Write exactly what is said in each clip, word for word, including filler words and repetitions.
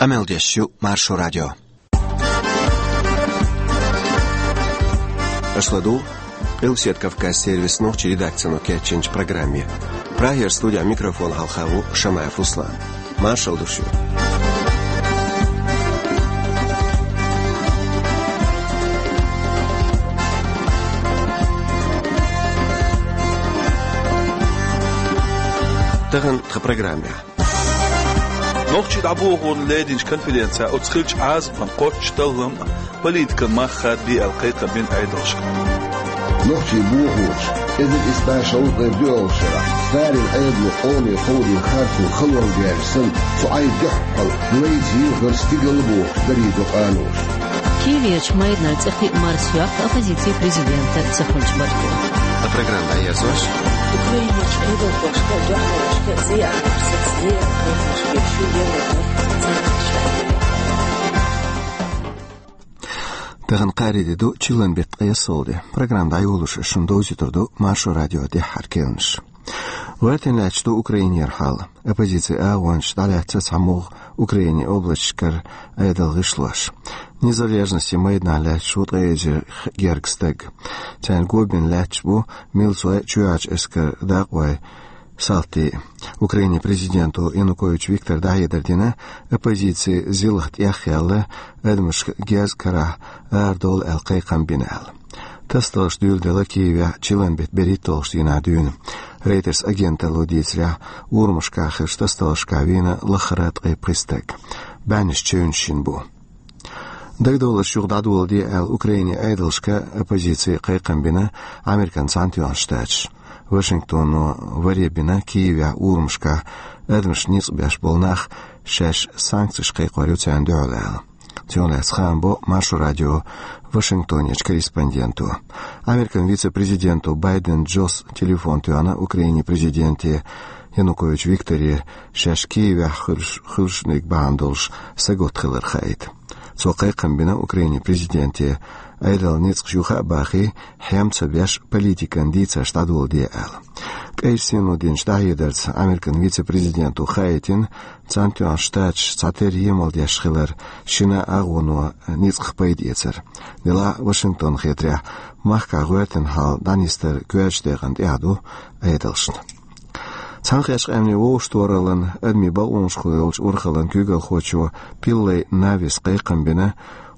Къамел деш ю Маршо радио. Аша ладугӀу Къилбаседа Кавказ сервисан нохчийн редакцино кечйинчу программе. Прагера студехь микрофон хьалха ву Шамаев Руслан. Маршалла ду шуьга. Тахана тхан программехь. Нохчий дӀабохорна леринчу конференцехь оцу хиллачу Ӏазапан кхоччуш таллам а, политикан мах хадабе аьлла кхайкхам бина Ӏедалшка. Нохчий бохорш, эзар исс бӀе шовзткъе доьалгӀачу шарахь, церан Ӏедало къоме кховдийна харцо халонга гаьржа санна, цу Ӏай дуьххьал лайца йилхира стигала бохуш дарийдо къаноша. Киевехь майданан цӀе кхиа марс йоккху оппозицин президента ца хуьлучу баркалла. Тхан программа дӀаерзош. Украинерчу Ӏедалхошка а, дуьхьалхошка а зен ахча саца лерина кхайкхамаш беш ю Европан Цхьаьнатоьхначу Штатийн. Тахана кхаарин де ду, чиллан беттан ткъе ялхалгӀа де. Программа дӀайолош ас шуна довзуьйтур ду Маршо радион тӀаьххьара кхаьънаш. ГӀоьртина лаьтташ ду Украинера хьал. Оппозицин агӀончаш дӀалаьцна цхьамогӀа Украинин областашкара Ӏедалан гӀишлош. Низам лержанаш майданахь лаьтташ ву ткъе эзар гергга стаг. Царна го бина лаьтташ бу милцой, чоьхьарчу эскаран дакъой, салтий. Украинин президенто Янукович Виктора дӀахьедар дина, оппозицин зилха тӀехъяьлла, адамашка герз карахь арадовла аьлла кхайкхам бина аьлла. Тасадаларш дуьйладелла Киевехь чиллан беттан берхӀитталгӀачу дийнахь дуьйна. Рейтерс агенталло дийцарехь, урамашкахь хиллачу тасадаларшкахь вийна лахара ткъе пхи стаг. БӀеннаш чевнаш йина бу. Дагадовларш юха дӀадоладе аьлла Украинин Ӏедалшка оппозици кхайкхам бина Американ Цхьаьнатоьхначу Штаташа. Вашингтоно варе бина Киевехь урамашкахь адамашна ницкъ беш болу нах шаьш санкцеш кхайкхор ю царна дуьхьал аьлла. Цунах лаьцна хаам бо Маршо радион Вашингтонерчу корреспонденто. Американ вице-президенто Байден Джос телефон тоьхна Украинин президенте Янукович Викторе, шаьш Киевехь хуьлуш-, хуьлуш дерг бахьана долуш сагатта хилар хаийта. Цо кхайкхам бина Украинин президенте, Ӏедалан ницкъаш юха а бахий, хьем ца беш, политикан дийцарш дӀадоладе аьлла. КӀайчу Сино динчу дӀахьедарца Американ вице-президенто хаийтина, Цхьаьнатоьхначу Штаташа цхьатерра емал деш хилар шина а агӀоно ницкъах пайда эцар. Делахь а Вашингтонна хетарехь, махкахь гӀоьртина хьал дӀанисдар коьртачу декъана тӀехь ду Ӏедалшна. Цхьаьнакхеттачу Къаьмнийн Вовшахтохараллин адамийн бакъонашкахула йолчу урхаллин куьйгалхочо Пиллей Навис кхайкхам бина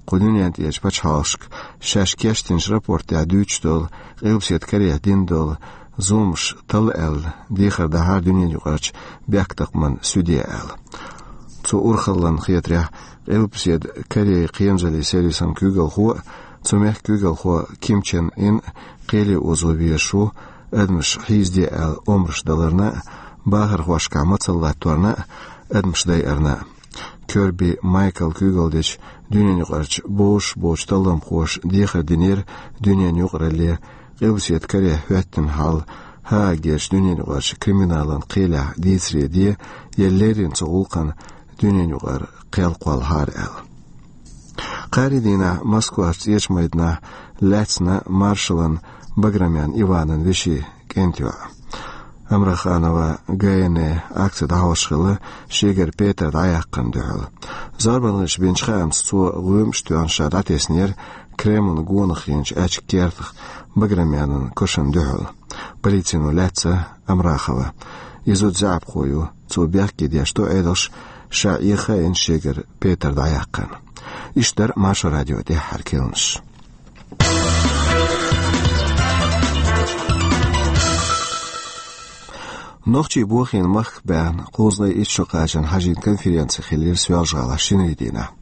кху дуьнен тӀерачу пачхьалкхашка, шаьш кечдинчу рапортехь дуьйцуш долу, Къилбаседа Корехь дина долу зуламаш талла аьлла, дехар дахьара дуьненаюкъарчу бехктакхаман суьде аьлла. Цу урхаллин хетарехь, Къилбаседа Корейн кхерамзаллин сервисан куьйгалхо а, цу мехкан куьйгалхо Ким Чен Ын кхеле озо везаш ву, адамаш хьийзаде аьлла омраш даларна а, бахархошкахь мацалла латторна а, адамаш дайарна а. Кёрби Майкла куьйгалла дечу дуьненаюкъарчу бозуш боцчу талламхоша дехар динера дуьненан юкъаралле, Къилбаседа Корехь хӀоьттина хьал Гаагерчу дуьненаюкъарчу криминалан кхелехь дийцаре де, я леррина цу гӀуллакхна дуьненаюкъара кхел кхоллахьара аьлла. Кхаарин дийнахь Москвахь цӀечу майданахь лаьцна маршаллан Баграмян Иванан вешин кӀентан йоӀ. Амраханова Гайне акци дӀахьош хилла шегара петар дӀаяккхарна дуьхьал. Зорбанхаша бинчу хаамца цо гӀоьмаш тоьхна ша дӀатеснера Кремлан гонах хиъначу аьчка кертах Баграмянан кошан дуьхьал. Полицино лаьцна Амрахова. И зуда заьӀапхо ю, цо бехке деш ду Ӏедалш, ша Ӏехийна шегара петар дӀаяккхарна. Иштта дара Маршо радион тӀаьххьара кхаьънаш. Нохчийн бохийна махках баьхна кхузткъе итт шо кхачарна хьажийна конференци хиллера Соьлжа-ГӀалахь шинарин дийнахь.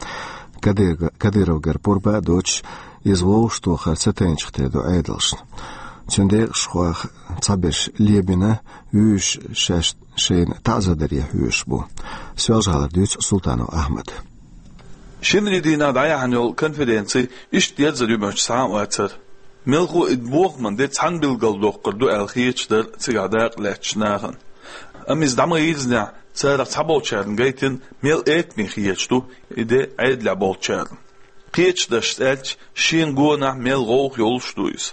Кадыр-, Кадыровгара пурба а доцуш, иза вовшахтохар ца тайначух тера ду Ӏедалшна. Цуьнан декъашхой цхьаберш лебина, вуьйш шаьш шайна таӀзар даре хьоьжуш бу. Соьлжа-ГӀалара дуьйцу Султанов Ахьмада. Шинарин дийнахь дӀаяьхьна йолу конференци иштта дерзар ю моьттуш цхьа а вацара. Мелхо а и бохаман де цхьаьна билгалдоккхур ду аьлла хеташ дара цигахь дакъа лаьттачу нахана. Амма иза дӀа ма-йирзинехь, царах цхьаболчарна гайтина, мел экаме хеташ ду и де Ӏедалехь болчарна. Кхечу дашца аьлча, шена гонахь мел гӀовгӀа йолуш ду иза.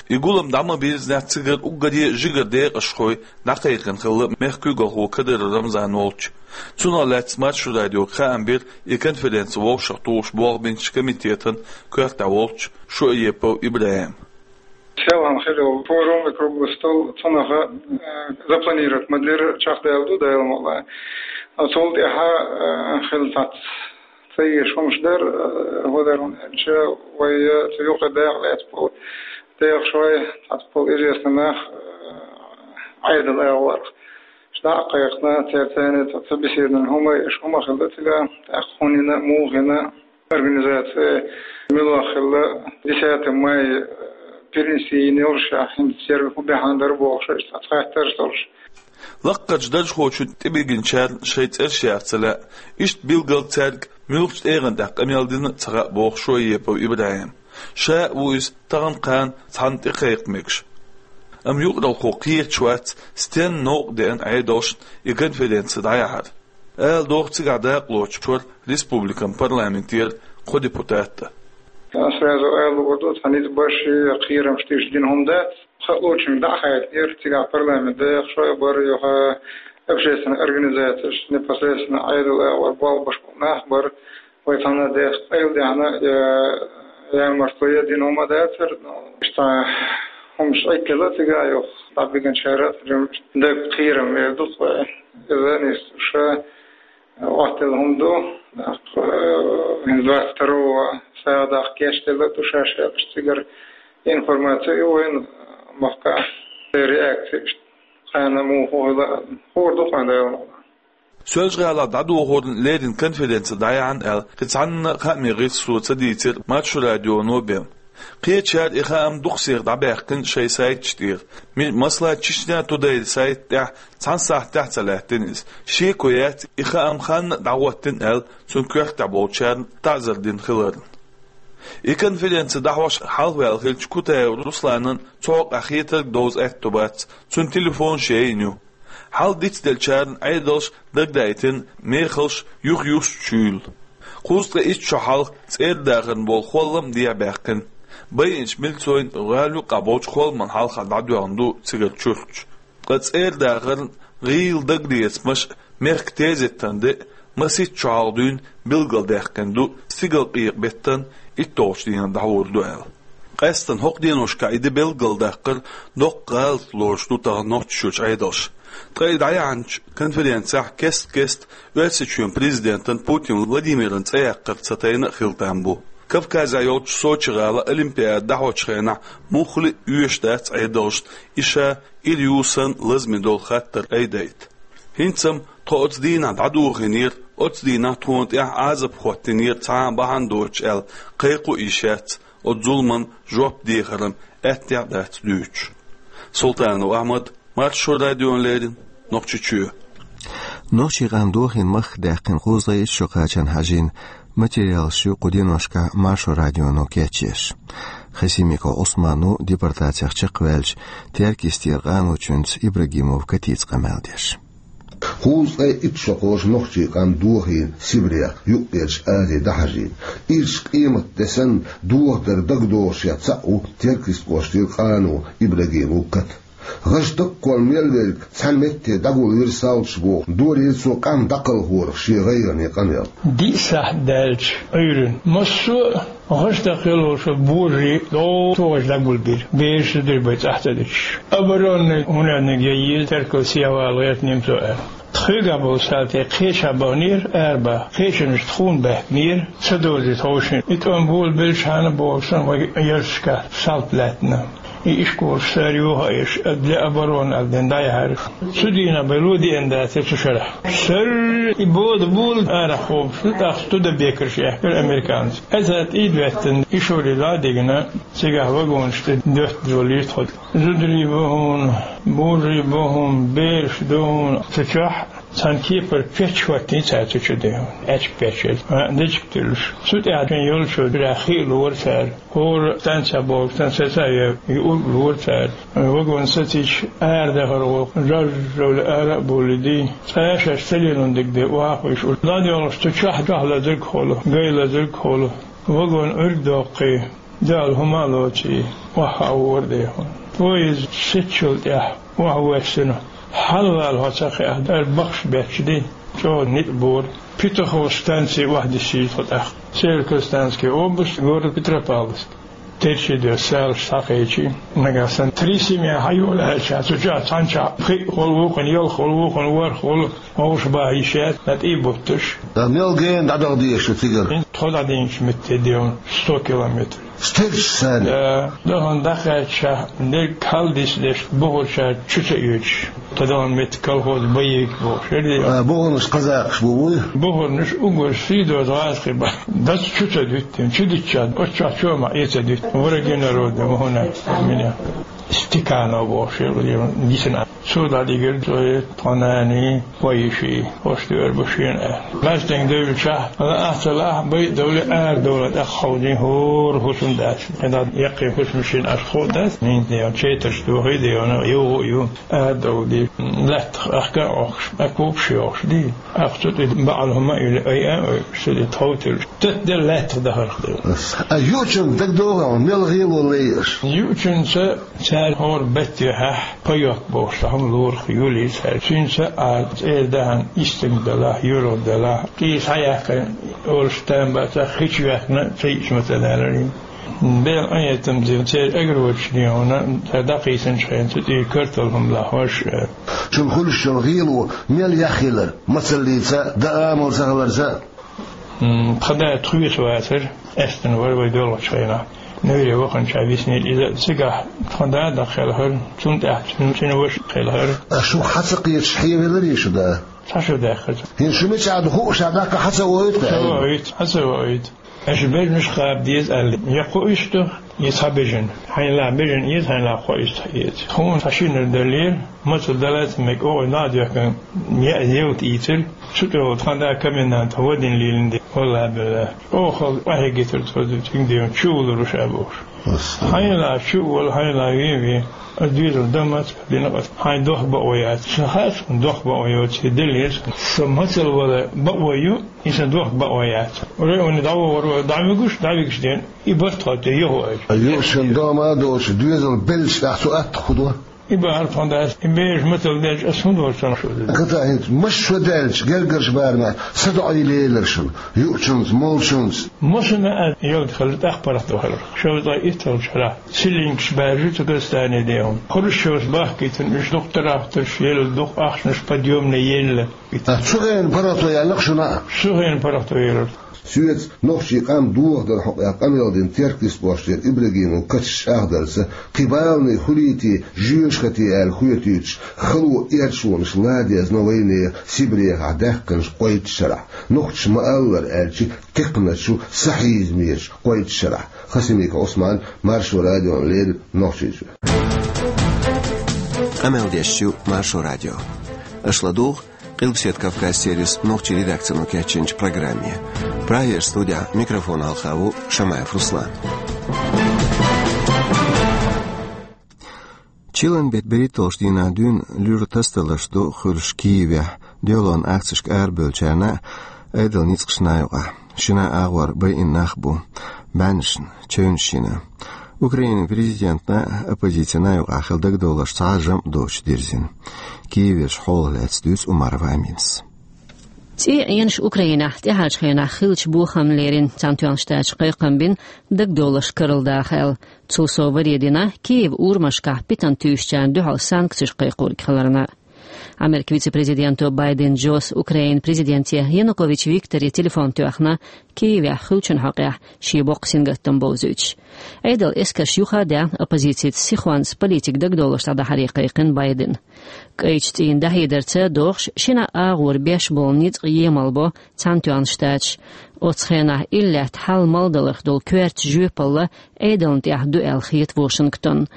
И гулам дӀа ма бирзинехь, цигара уггаре а жигара декъашхой дӀакхайкхина хилла мехкан куьйгалхо Кадыров Рамзан волчу. Цунах лаьцна Маршо радиога хаам бира и конференци вовшахтухуш болх бинчу комитетан коьртехь волчу Шуаепов ИбрахӀима. Селхана хилла форум и круглый стол, цунах, э, запланировать ма дира, чекхдаьлла ду Дала мукъ лахь. Цул тӀаьхьа, э, хилла цхьацца ца езаш хӀумаш дара, э, хӀун дара аьлча, вай, э, цу юкъа дакъа лаьцна болу дехаш вай, цхьацца болу известный нах, э, Ӏедал агӀорах. Ша дӀа а кхайкхина, церан царна ца, ца беседован хӀума, иш хӀума хилла цигахь, тӀаккха хӀунда, муха организация мила хилла, десятый май, э, перенести йина йолуш, а хӀинца церан хӀун баьхьна дара бохуш, иштта цхьацца хаттарш долуш. Лаккхарчу даржхочун тӀебигинчарна шайн цӀераш яха ца лаьа, иштта билггал цаьрга муьлхачу тӀегӀан тӀехь къамел дина а ца хаьа, боху Шуаепов ИбрахӀима. Ша а ву иза тахана-кхана цхьанна тӀекхайкха мегаш. Амма юкъаралхо кхеташ вац, стенна новкъа деана Ӏедалшна и конференци дӀаяхьар. Ала догӀу, цигахь дакъалоцуш вара республикан парламентера кхо депутат а. Сразу ала луур ду, цхьа ницкъ беш я, кхерамаш тӀе дина хӀума дац. Халочуьнга дӀа а хаьттинера, цигахь парламент дехаш а бара, юха общественная организацияш, непосредственно Ӏедал агӀор болх беш болу нах а бара. Вай цхьана дехаш къайладаьхна, я, ямартло я дина хӀума дацара, но иштта хӀумаш Ӏиккхила цигахь, юха дӀабигинчара а, даг кхерам эр ду-кх вай. Иза нийса ша Охьателла хӀума ду, тӀаккха, э, двадцать второго сагӀа даккха гечделла ду шаьш аьлча, цигара информаци а ю вайна, махкахь реакци, кхана муха хӀума хила, хуур ду кхана Дала мукъ лахь. Соьлжа-ГӀалахь дӀадохорна леррина конференци дӀаяхьна аьлла, кхин цхьанна а хааман гӀирсо ца дийцира Маршо радионо бен. Кхечара и хаам дукха сиха дӀабаьккхина шайн сайташ тӀера. Ми-, масала, Чечня Тудей сайта тӀехь цхьана сахьтехь а ца лаьттина иза. Шеко яц, и хаам ханна а дӀахӀоттийна аьлла, цуьнан коьртехь болчарна таӀзар дина хиларна. И конференци дӀахьош хьалхаваьлла хиллачу Кутаев Русланан цу хьокъехь хетарг довза аьтто бац, цуьнан телефонаш яйна ю. Хьал дицделлачарна Ӏедалша дагадайтина мехалш юха юстучуьйла. Кхузткъе итт шо хьалха цӀердахарна болу холлам а дехьабаьккхина. Байинчу милцойн гӀала юккъехь болчу холламан хьалха дӀадоьгӀна ду цигара чурташ. Ткъа цӀердахарна гӀийла дагалецамаш а, мехкан тезеттан де а масийтта шо хьалха дуьйна билгалдаьккхина ду, стигалкъекъа беттан итталгӀачу дийнахь дӀахьур ду аьлла. Къаьстина хӀокху деношкахь и де билгалдаккхар доккха гӀалат лоруш ду тахана Нохчийчуьрчу Ӏедалша. Ткъа и дӀаяьхьначу конференцехь кест-кеста Оьрсийчоьнан президентан Путин Владимиран цӀе яккхар ца тайна а хила там бу. Кавказехь йолчу Сочи-гӀала Олимпиада дӀахьочу хенахь муххале а оьшуш дац Ӏедалшна и ша ира ю санна лазаме долу хаттар айдайта. ХӀинца-м тхо оцу дийнахь дӀадохийнера, оцу дийнахь тхуна тӀехь Ӏазап хӀоттийнера цхьа а бахьана доцуш аьлла, кхайкха а йиш яц, оцу зуламан жоп дехаран аьттехьа а дац дуьйцуш. Султанов Ахьмад, Маршо радиона леррина, Нохчийчоь. Нохчийн къам дохийна махках даьккхина кхузткъе итт шо кхачарна хьажийна материалаш ю кху деношкахь Маршо радионо кечъеш. Хасимиков Ӏусман ву депортацех чекхваьллачу Теркйистера къаначуьнца Ибрагимов Катица къамел деш. Кхузткъе итт шо кхочу нохчийн къам дохийна Сибрех, Юккъерчу Азе дӀахьажийна. Ирча къематде санна дохадар дагадогӀуш я цхьаъ ву Теркйист кӀоштара къано Ибрагимов Ката. ГӀаш даккхол мел верг цхьана метте дӀагулвира салташа бохуш, долийра цо къам дӀакхалхорах шен гӀайгӀане къамел. Диъ сахьт даьлча Ӏуьйранна массо а гӀаш даккхал волуш божарий дӀо тогӀаш дӀагулбира, бераш зударий бен цӀахь ца диташ. Оборонный хӀунаниг яйийла, теркал сехьавала гӀерта немцо аьлла. Тхоьгахь болу салти кхечахь бахнера, арабаха, кхечанаш тхуна баьхкинера, ца дозий тховшина. И тӀом болабелчхьана бохуш санна вай ярташкахь салт лаьттина. И ишколаш цара юха а еш, а, для обороны аьлла дина дӀаяхьара. Цу дийнахь бен ло деана дацара цу шарахь. Сарра и бода була арахь хобуш, тӀаккха студебекерш яьккхира американцы. Аса тӀе а доьттина, и шоре дӀа а дигна, цигахь вагонаш тӀе доьттина долийра тхо. Зударий бу хьуна, божарий бу хьуна, бераш ду хьуна. Цу чохь цхьана кепара печч хӀоттийна цара цу чу де хьуна. Аьчка печч еза. А, дечиг туьллуш. Цу тӀехь шайн йолчо дирахь хи а лора цара. ХӀора станцехь бохуш, станцехь ца а йо, юург а лора цара. Вагон сацийча, арадахар гӀо, жаж-жовла ара а бовлий дий. Цкъа а шаьш ца лелон дерг де, охьа а хуьйш, уьш дӀадоьлхуш цу чохь, чохь лазарг а хуьлу, гай лазарг а хуьлу. Вагон Ӏуьрг доккхий. Дала хӀума а лоций, охьа а вора дехьа. Поезд сецчул тӀехьа охьа воссина. Хьалвала хьо ца кхиахь, ара бахаш бетташ ди, чӀогӀа ницкъ бора. Петухово станци охьадиссийта тхо тӀаккха. Северо-Казахстанский область, город Петропавловск. Терчи де салаш схьакхечи, нагахь санна три семья хьаюлаьлча, цу чохь цхьанчохь пхиъ хула вукхун, ялх хула вукхун, ворхӀ хула, вовш баха йиш яц, на тӀе бутташ. Да мел гена дӀадала дезаш ю цигара? Тхо дӀадийначу метте девна сто километр. Стирча санна? Да, дахана дӀакхаьчча, дерг хьалдисдеш, бухарчара чу ца оьцуш. Тхо дахана метта колхоз боевик бохуш. Эр де. А, бухарнаш казакхаш бу вуй? Бухарнаш угар сий доз гӀазкхи ба. Дац чу ца дуьттина, чу дитча, оццахь чома э ца дуьтта. Враги народа, ма хӀуна, меня. Стеканов бохуш, эр де, гисина. Цо дӀадигира цо тхо нани, хӀо йиши, хӀош дуьйр бу шена аьлла. Маьстенга девлчахь, ала ахьа ца лахь, бай а довлий, ара довла, тӀаккха хьовзий, хӀора хӀусам дац. ХӀинца яккхий хӀусамаш шена аш хо дац, хӀинца де, четарш дохий де, йовгӀу а ю, ара довла ди. Лаьттах ахка а Ӏохкуш, а купаш йохуш ди. Ахча тӀе баӀал хӀума а юьлу, ай а ой, шу де тховтуьлуш. Тат де лаьттах дахарх де. А юучун дагадогӀу, мел гӀело лайаш? Юучунца Цара хӀора беттехьа пайок бохуш цхьа хӀума лорах юлий цара. Цуьнца а цӀера дахьана истинг далахь, юргӀа далахь, къийса хьаяьккхина олуш там бацахь, хи чу ваьккхина ца йиъча ма ца даларий. Бел Ӏетам дина церан агрочу дегӀана, цара дӀакхийсинчу хенца тӀера картал хӀума лахьош. Шуна хуьлуш йолу гӀело мел яхъелара, мацаллица, даа амал ца хиларца? М, тхан да тхоьца вацара, аьстина вара вай доьлхучу хенахь. Нуьйре ваханчохь виснера иза. Цигахь тхан да даккха хелхара, цунна тӀаьхьа цуьнан цӀена ваша хелхара. Аш шух хьан ца кхеташ хьевеларий шу да? Цхьа шу даьккхира. ХӀинца шу мичахь ду хууш а даккха хьан ца воуьйту? Ца воуьйту, хьан ца воуьйту. Аша бежнаш кхаба деза аьлла, я кхо иштта, я цхьа бежан. Хьайна лаьа бежан эца, хьайна лаьа кхо иштта эца. Тхуна цхьа шинар даллера, мацалла далаца мега оха нах а доьхкина, яа евта ийцира. Цу тӀехула тхан да комендант вадина лелина де, валлахӀи-биллахӀи. Оха къахьегийтира цо, цуьнга девна, чу вулур ву ша бохуш. Хьайна лаьа чу а волу, хьайна лаьа вен а вен. Ас доьзал дан маца дина ас, хьайн дохка бакъо яц. Сан хаьа суна дохка бакъо йоций, деллера сан. Сан мацалла вала бакъо ю, и сан дохка бакъо яц. Районе дӀавогӀур вара, дӀавигуш, дӀавигуш ден, и барт хьо тӀе йоху аьлча. Юушан дома а доцуш, доьзал беллачу тӀехь цу атта хӀун до? И бахьара тхуна дац, и бежа мацалла делча, аса хӀун дора сан шу? Кхата хӀинца, маша шо даьлча, гергарчу барамехь, са доӀий лелара шуна, юучунца, молчунца. Масана а ялта хилла, тӀаккха паргӀат вахара. Шовзткъе итталгӀачу шарахь, силлингаш баьржа цу Казахстане дехьа. Хрущевс бахкийтина уьш дукха тарахтарш елла, дукха ахчанаш подъёмный елла. А цу хенан паргӀато яьлла-кх шуна а? Цу хенан паргӀато елира. Соьца нохчийн къам дохадар хьокъехь къамел дина Терк Диспошера Ибрагимов Кача чӀагӀдарца, кхин баланийн хуьлий те, жоьжахатий аьлла хоьтуьйтуш, хало эрчонаш ладезна вайнехан Сибрехахь даьккхинчу кхойтта шарахь, нохчаша ма-аллара аьлча, кхаьчначу сахьийзамечу кхойтта шарахь. Хасимиков Ӏусман, Маршо радиона леррина, Нохчийчоь. Къамел деш ю Маршо радио. Аша ладугӀу Къилбаседа Кавказ сервисан нохчийн редакцино кечйинчу программе. Прагера студехь микрофон хьалха ву Шамаев Руслан. Чиллан беттан берхӀитталгӀачу дийнахь дуьйна луьра тасадаларш ду хуьлуш Киевехь, дуьхьалонан акцешка арабевллачарна а, Ӏедалан ницкъашна а юкъахь. Шина агӀор байина нах бу бӀеннашна, чевнаш йина. Украинан президентана а, оппозицина а юкъахь хилла дагадовларш цхьа а жамӀ доцуш дирзина. Киевера хьолах лаьцна дуьйцу Умарова Аминас. ЦӀий Ӏенаш Украинехь тӀаьхьарчу хенахь хиллачу бохамна лерина Цхьаьнатоьхначу Штаташа кхайкхам бина дагадовларш карладаха аьлла. Цул сов варе дина Киеван урамашкахь питана туьйсучарна дуьхьал санкцеш кхайкхориг хиларна. Америкин вице-президенто Байден Джос Украинан президенте Янукович Викторе телефон тоьхна, Киевехь хуьлучун хьокъехь шен боккха сингаттам бовзуьйтуш. Ӏедалан эскарш юха а даьхна, оппозицица сихонца политикан дагадовларш дӀадахьаре кхайкхина Байдена. КӀайчу цӀийнан дӀахьедарца дохуш, шина агӀор беш болу ницкъ емал бо Цхьаьнатоьхна Штаташ. Оцу хенахь иллаьтта хьал мел даларх долу коьртачу жоьпалла Ӏедална тӀехь ду аьлла хета Вашингтон.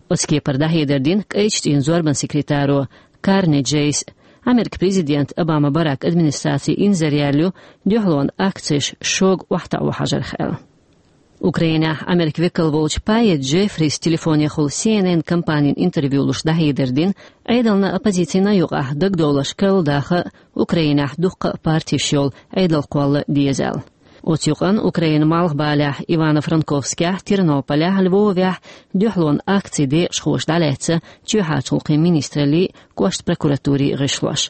Оцу кепара дӀахьедар дина кӀайчу цӀийнан зорбанан секретаро Карни Джейс. Америкин президент Обама Барак администрацин инзаре яьлла ю дуьхьалонан акцеш шога охьатаӀо хьажарх аьлла. Украинехь Америкин векал волчу Пайет Джеффрис телефонехула Си Эн Эн компанина интервью луш дӀахьедар дина, Ӏедална а, оппозицина а юкъахь дагадовларш карладаха а, Украинехь дуккха а партеш йолу Ӏедал кхолла а деза аьлла. Оцу юкъанна Украинан малхбалехь Ивано-Франковскехь, Тернополехь, Львовехь дуьхьалонан акцин декъашхоша дӀалаьцна чоьхьарчу гӀуллакхийн министраллий, кӀоштан прокуратурий гӀишлош.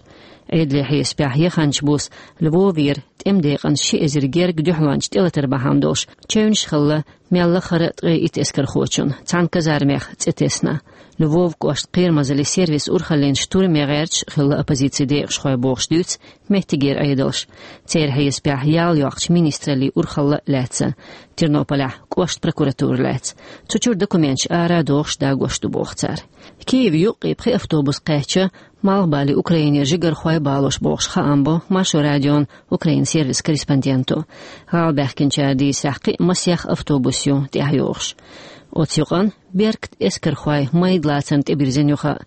Ӏедалан хьесапехь, яханчу буса Львовера тӀеман декъанца ши эзар герга дуьхьалонча тӀелатар бахьана долуш чевнаш хилла мел лахара а ткъе итт эскархочун, цхьана казармех цӀе тесна. Львов кӀоштан кхерамазаллин сервисан урхаллин штурме гӀерташ хилла оппозицин декъашхой бохуш дуьйцу меттигера Ӏедалша. Церан хьесапехь, ял йоккхучу министраллин урхалла а лаьцна, Тернополехь кӀоштан прокуратура лаьцна. Цу чуьра документаш ара а дохуш, дагош ду боху цара. Киеве юккъе пхи автобус кхаьчна малхбале Украинера жигархой балош бохуш, хаам бо Маршо радион Украинан сервисан корреспонденто. ГӀала баьхкинчара дийцарехь, кхин а масех автобус ю тӀаьхьайогӀуш. Оцу юкъанна беркат эскархой майда лацарна тӀебирзина ю хаа.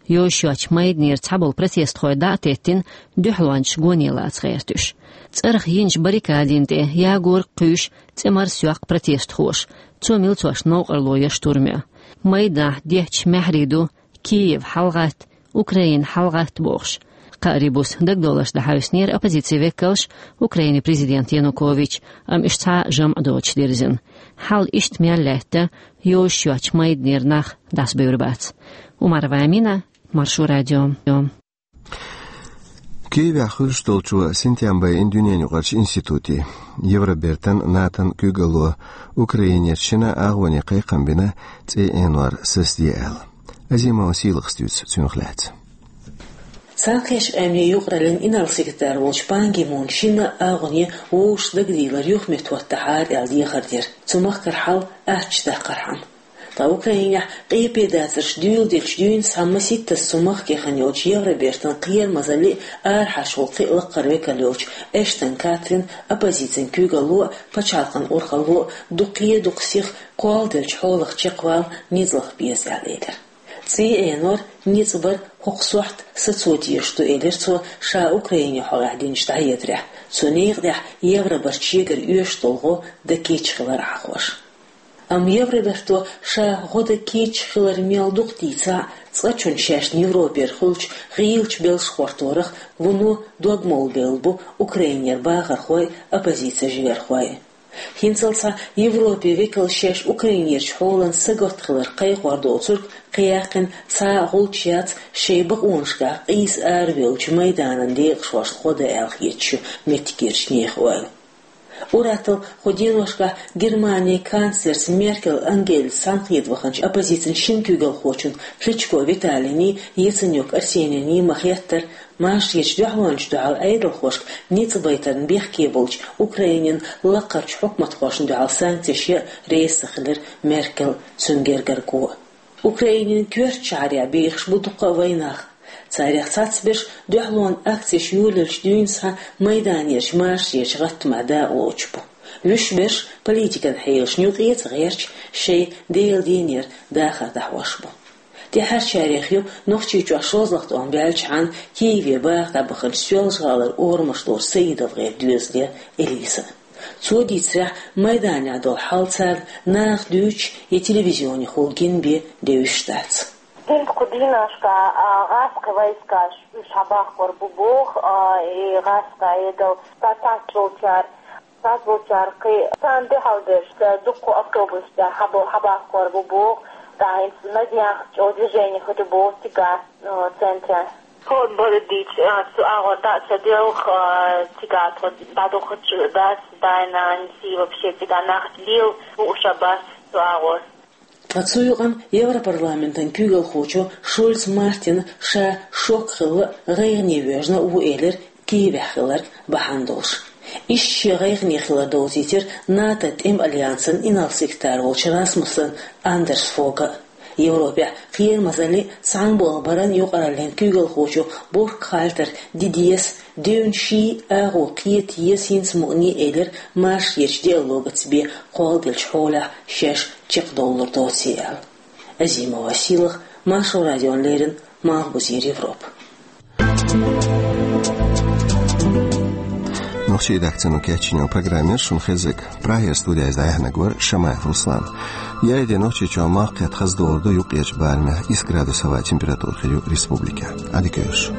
Йозуш йоцчу майданера цхьаболу протестхой дӀа а теттина, дуьхьалончаш гоне лаца гӀерта уьш. ЦӀарах йинчу баррикадина тӀе ягор а кхуьйсуш, цӀе марсайоккху протестхоша. Цо милцошна новкъарло йо штурм йо. Майданахь детташ маьхьарий ду: «Киев, хьалагӀатта! Украина, хьалагӀатта!» бохуш. Кхаарин буса дагадовларш дӀахьаьвсинера оппозицин векалша Украинан президент Янукович, амма уьш цхьа а жамӀ доцуш дирзина. Хьал иштта мел лаьтта йозуш йоцчу майданера нах дӀасабевр бац. Умарова Амина, Маршо радио. Киевехь хуьлуш долчо синтем байина дуьненаюкъарчу институте. Евробертан, НАТОн куьйгалло Украинерчу шина агӀоне кхайкхам бина, цӀе Ӏенор сацаде аьлла. Азимова Сийлахас дуьйцу цунах лаьцна. Цхьаьнакхеттачу Къаьмнийн юкъараллин инарла-секретарь волчу Пан Ги Муна шина агӀоне вовшашца дагадийлар юхаметтахӀоттахьара аьлла дехар дира, цу махкара хьал аттачу даккхархьама. Ткъа Украинехь къепе дацарш дуьйладелча дуьйна схьа масийттаза цу махкахь йолчу Евробертан кхерамазаллин а, арахьарчу гӀуллакхийн а лакхара векал йолчу Эштон Катрин оппозицин куьйгалло а, пачхьалкхан урхалло а дукха, дукха сиха кхолладелчу хьолах чекхвала ницкъ лаха беза аьлла элира. ЦӀе Ӏенор, ницкъ бар хӀокху сохьта сацо дезаш ду, элира цо ша Украинехь хьокъехь динчу дӀахьедарехь. Цу некъа тӀехь Евробарт шегара оьшуш долу гӀо дан кийча хилар Ӏахош. Амма Евробарто ша гӀо дан кийча хилар мел дукха дийцахь а, цкъачунна шаьшна Европера хуьлучу гӀийлачу белшаш гӀорторах вуно догмалла бевлла бу Украинера бахархой а, оппозицин жигархой а. ХӀинццалц Европин векалш шаьш Украинерчу хьолан сагатта хилар кхайкхор доцург кхайкхина цхьа а гӀулч яц шайн бакъонашкахь къийса аравеллачу майданан декъашхошна гӀо дан аьлла хеташ ю меттигерчу нехан ойла. Ур-атталла кху деношкахь Германин канцлерца Меркель Ангелица цхьаьнакхета ваханчу оппозицин шина куьйгалхочунна Кличко Виталийний, Яценюк Арсенийний ма-хеттара, машаречу дуьхьалончашна дуьхьал Ӏедалхошка ницкъ байтарна бехке болчу Украинин лакхарчу хьукматхошна дуьхьал санкцеш ян а реза ца хилира Меркель а, цуьнан гергарчу гӀоьнчо а. Украинин коьртачу шахьарехь бехаш бу дуккха а вайнах. Царех цхьаберш дуьхьалонан акцеш йолаелча дуьйна схьа майданерчу машаречу гӀаттамехь дакъалоцуш бу. Вуьш берш политикан хьелашна юкъе ца гӀерташ, шайн Делан дийнера дахар дӀахьош бу. ТӀаьхьарчарех ю Нохчийчохь шозлагӀа тӀом баьллачхьана Киеве баха дӀабаханчу Соьлжа-ГӀалара орамаш лору СаидовгӀеран доьзалера Элиса. Цо дийцарехь, майданехь долу хьал царна наха дуьйцуш я телевизионехула гина бен девзаш дац. ХӀинца кху дийнашкахь, а, гӀазкхийн войскаш уьш хьабахкор бу боху, а, и гӀазкхийн Ӏедал, цхьацца болчара, цхьацца болчара кхин царна дуьхьал берш, дуккха автобус тӀехь хьабо-, хьабахкор бу боху, ткъа хӀинца Надеяхь чӀогӀа движение хӀуьтту боху цигахь, а, центрехь. Хо бара дийцча, а, цу агӀор дӀа а ца делха, а, цигахь тхо дӀадухучу дас, дай-нанас, вообще цигахь нах лела хууш а бац цу агӀор. Ткъа цу юкъанна Европарламентан куьйгалхочо Шульц Мартина ша шок хилла а, гӀайгӀане воьжна а ву элира Киевехь хиларг бахьана долуш. Иштта шен гӀайгӀане хилар доцуьйтира НАТО тӀеман альянсан инарла-секретарь волчу Расмуссен Андерс Фога а. Европехь кхерамазаллин а, цхьаьнаболх баран а юкъараллин куьйгалхочо Борг Хальтера ди деза, девнаш ший агӀо кхета еза хӀинца мукъане а элира машаречу диалогаца бен кхолладелчу хьолехь шаьш чекхдовлур доций аьлла. Азимова Сийлаха, Маршо радиона леррина, Малхбузера Европа. Нохчийн редакцино кечйина программа яра шуна хезнарг. Прагера студехь иза дӀаяьхьнарг вара Шамаев Руслан. Яйде Нохчийчохь малхкхетта хаза догӀур ду, юккъерчу барамехь исс градус хӀаваан температура хир ю республикехь. Ӏадика йойла шун.